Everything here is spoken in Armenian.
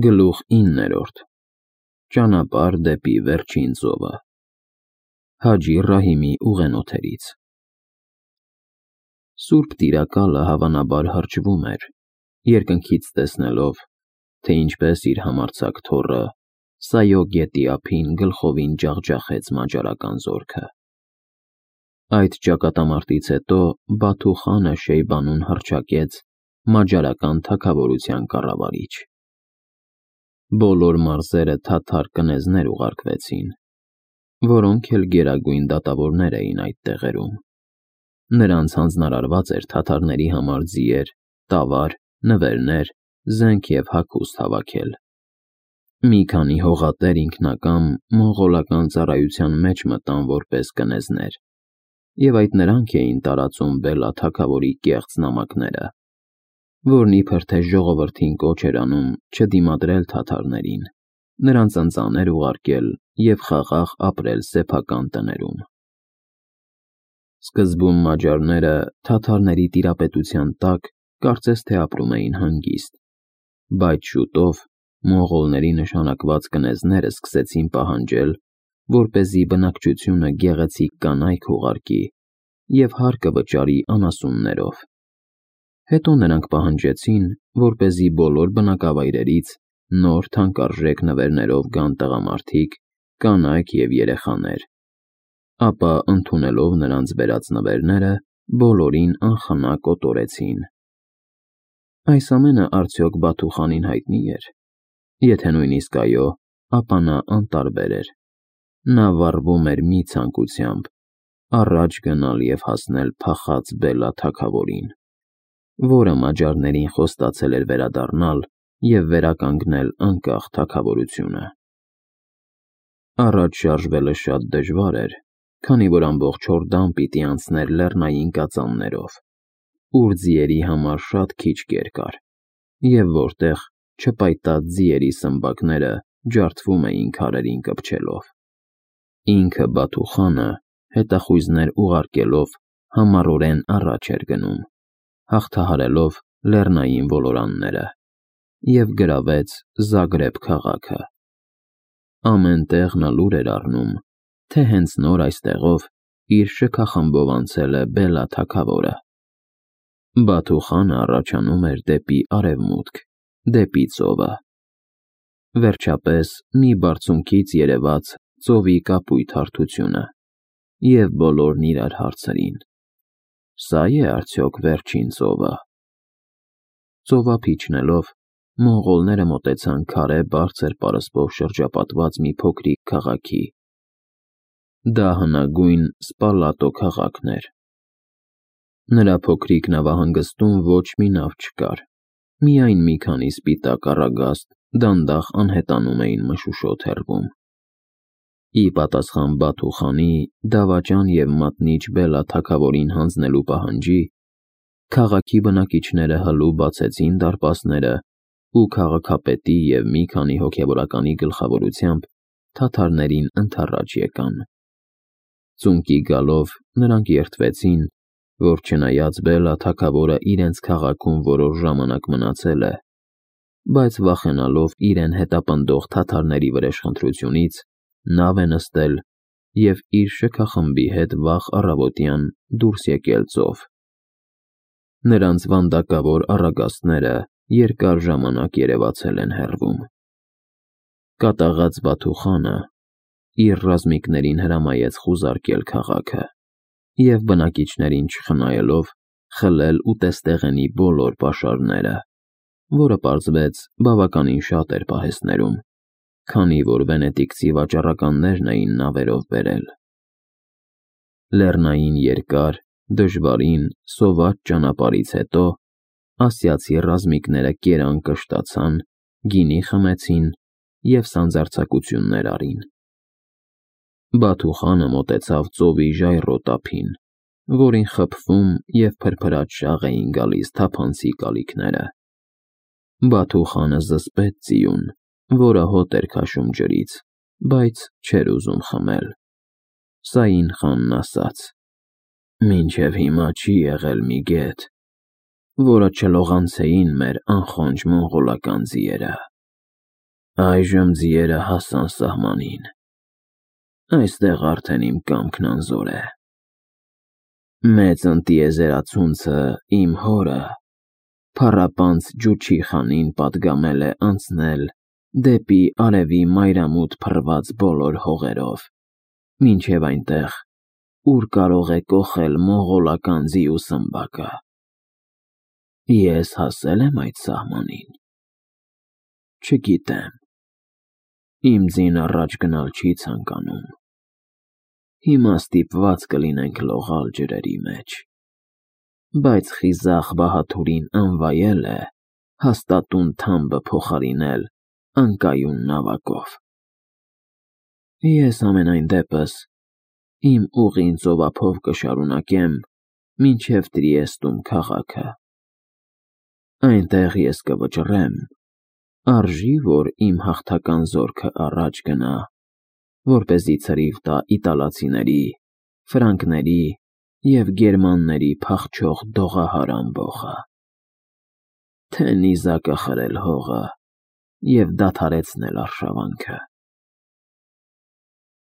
Գլուխ 9. Ճանապարհ դեպի վերջին ծովը։ Հաջի Ռահիմի ուղենոթերից։ Սուրբ տիրակալը հավանաբար հրճվում էր, երկնքից տեսնելով, թե ինչպես իր համարձակ թոռը Սայո գետի ափին գլխովին ջախջախեց մաջարական զորքը։ Այդ ճակատամարտից հետո Բաթու խանը Շեյբանուն հռչակեց մաջարական թագավորության կառավարիչ։ Բոլոր մարզերը թաթար կնեզներ ուղարկվեցին, որոնք էլ գերագույն դատավորներ էին այդ տեղերում։ Նրանց հանձնարարված էր թաթարների համար ձիեր, տավար, նվերներ, զենք և հագուստ հավաքել։ Մի քանի հողատեր ինքնակամ մոնղոլական ծառայության մեջ մտան որպես կնեզներ, և այդ նրանք էին տարածում Բելա թագավորի կեղծ նամակները, որն իբր թե ժողովրդին կոչ էր անում չդիմադրել թաթարներին, նրանց ընծաներ ուղարկել և խաղաղ ապրել սեփական տներում։ Սկզբում մաջարները թաթարների տիրապետության տակ կարծես թե ապրում էին հանգիստ, բայց շուտով մոնղոլների նշանակված կնեզները սկսեցին պահանջել, որպեսզի բնակչությունը գեղեցիկ կանայք ուղարկի և հարկը վճարի անասուններով։ Հետո նրանք պահանջեցին, որպեսզի բոլոր բնակավայրերից նոր թանկարժեք նվերներով գան տղամարդիկ, կանայք և երեխաներ, ապա ընդունելով նրանց բերած նվերները, բոլորին անխնա կոտորեցին։ Այս ամենը արդյոք Բաթու խանին հայտնի էր։ Եթե նույնիսկ այո, ապա նա անտարբեր էր։ Նա վառվում էր մի ցանկությամբ՝ առաջ գնալ և հասնել փախած Բելա թագավորին, որը մաջարներին խոստացել էր վերադառնալ և վերականգնել անկախ թագավորությունը։ Առաջ շարժվելը շատ դժվար էր, քանի որ ամբողջ Հորդան պիտի անցներ լեռնային կածաններով, ուր ձիերի համար շատ քիչ կեր կար, և որտեղ չպայտած ձիերի սմբակները ջարդվում էին քարերին կպչելով։ Ինքը Բաթու խանը հետախույզներ ուղարկելով համառորեն առաջ էր գնում, հաղթահարելով լեռնային ոլորանները, և գրավեց Զագրեբ քաղաքը։ Ամեն տեղ նա լուր էր առնում, թե հենց նոր այստեղով իր շքախմբով անցել է Բելա թագավորը։ Բաթու խանը առաջանում էր դեպի արևմուտք, դեպի ծովը։ Վերջապես մի բարձունքից երևաց ծովի կապույտ հարթությունը, և բոլորն իրար հարցրին. «Սա՞ է արդյոք վերջին ծովը»։ Ծովափ իջնելով, մոնղոլները մոտեցան քարե բարձր պարսպով շրջապատված մի փոքրիկ քաղաքի։ Դա հնագույն Սպալատո քաղաքն էր։ Նրա փոքրիկ նավահանգստում ոչ մի նավ չկար, միայն մի քանի սպիտակ առագաստ դանդաղ անհետանում էին մշուշոտ հեռվում։ Ի պատասխան Բաթու խանի դավաճան և մատնիչ Բելա թագավորին հանձնելու պահանջի, քաղաքի բնակիչները հլու բացեցին դարպասները ու քաղաքապետի և մի քանի հոգևորականի գլխավորությամբ թաթարներին ընդառաջ եկան։ Ծունկի գալով նրանք երդվեցին, որ չնայած Բելա թագավորը իրենց քաղաքում որոշ ժամանակ մնացել է, բայց վախենալով իրեն հետապնդող թաթարների վրեժխնդրությունից, նավ է նստել և իր շքախմբի հետ վաղ առավոտյան դուրս եկել ծով։ Նրանց վանդակավոր առագաստները երկար ժամանակ երևացել են հեռվում։ Կատաղած Բաթու խանը իր ռազմիկներին հրամայեց խուզարկել քաղաքը և բնակիչներին չխնայելով խլել ուտեստեղենի բոլոր պաշարները, որը պարզվեց բավականին շատ էր պահեստներում, քանի որ վենետիկցի վաճառականներն էին նավերով բերել։ Լեռնային երկար, դժվարին, սոված ճանապարհից հետո ասիացի ռազմիկները կերան կշտացան, գինի խմեցին և սանձարձակություններ արին։ Բաթու խանը մոտեցավ ծովի ժայռոտ ափին, որին խփվում և փրփրած շաղ էին գալիս թափանցիկ ալիքները։ Բաթու խանը զսպեց ձիուն, որը հոտ էր քաշում ջրից, բայց չէր ուզում խմել։ Սային խանն ասաց. «Մինչև հիմա չի եղել մի գետ, որը չլողանցեին մեր անխոնջ մոնղոլական ձիերը»։ Այժմ ձիերը հասան սահմանին։ Այստեղ արդեն իմ կամքն անզոր է։ Մեծ ընտիեզերացունցը իմ հորը փառապանծ Ջուչի խանին պատգամել է անցնել դեպի արևի մայրամուտ փռված բոլոր հողերով, մինչև այնտեղ, ուր կարող է կոխել մոնղոլական ձիու սմբակը։ Ես հասել եմ այդ սահմանին։ Չգիտեմ։ Իմ ձին առաջ գնալ չի ցանկանում։ Հիմա ստիպված կլինենք լողալ ջրերի մեջ։ Բայց խիզախ Բահաթուրին անվայել է հաստատուն թամբը փոխարինել անկայուն նավակով։ Ես ամենայն դեպս իմ ուղին ծովափով կշարունակեմ մինչև Տրիեստում քաղաքը։ Այնտեղ ես կվճռեմ, արժի որ իմ հաղթական զորքը առաջ գնա, որպեսզի ցրիվ տա իտալացիների, ֆրանկների և գերմանների փախչող դողահար ամբոխը, թե նիզակը խրել հողը և դադարեցնել արշավանքը։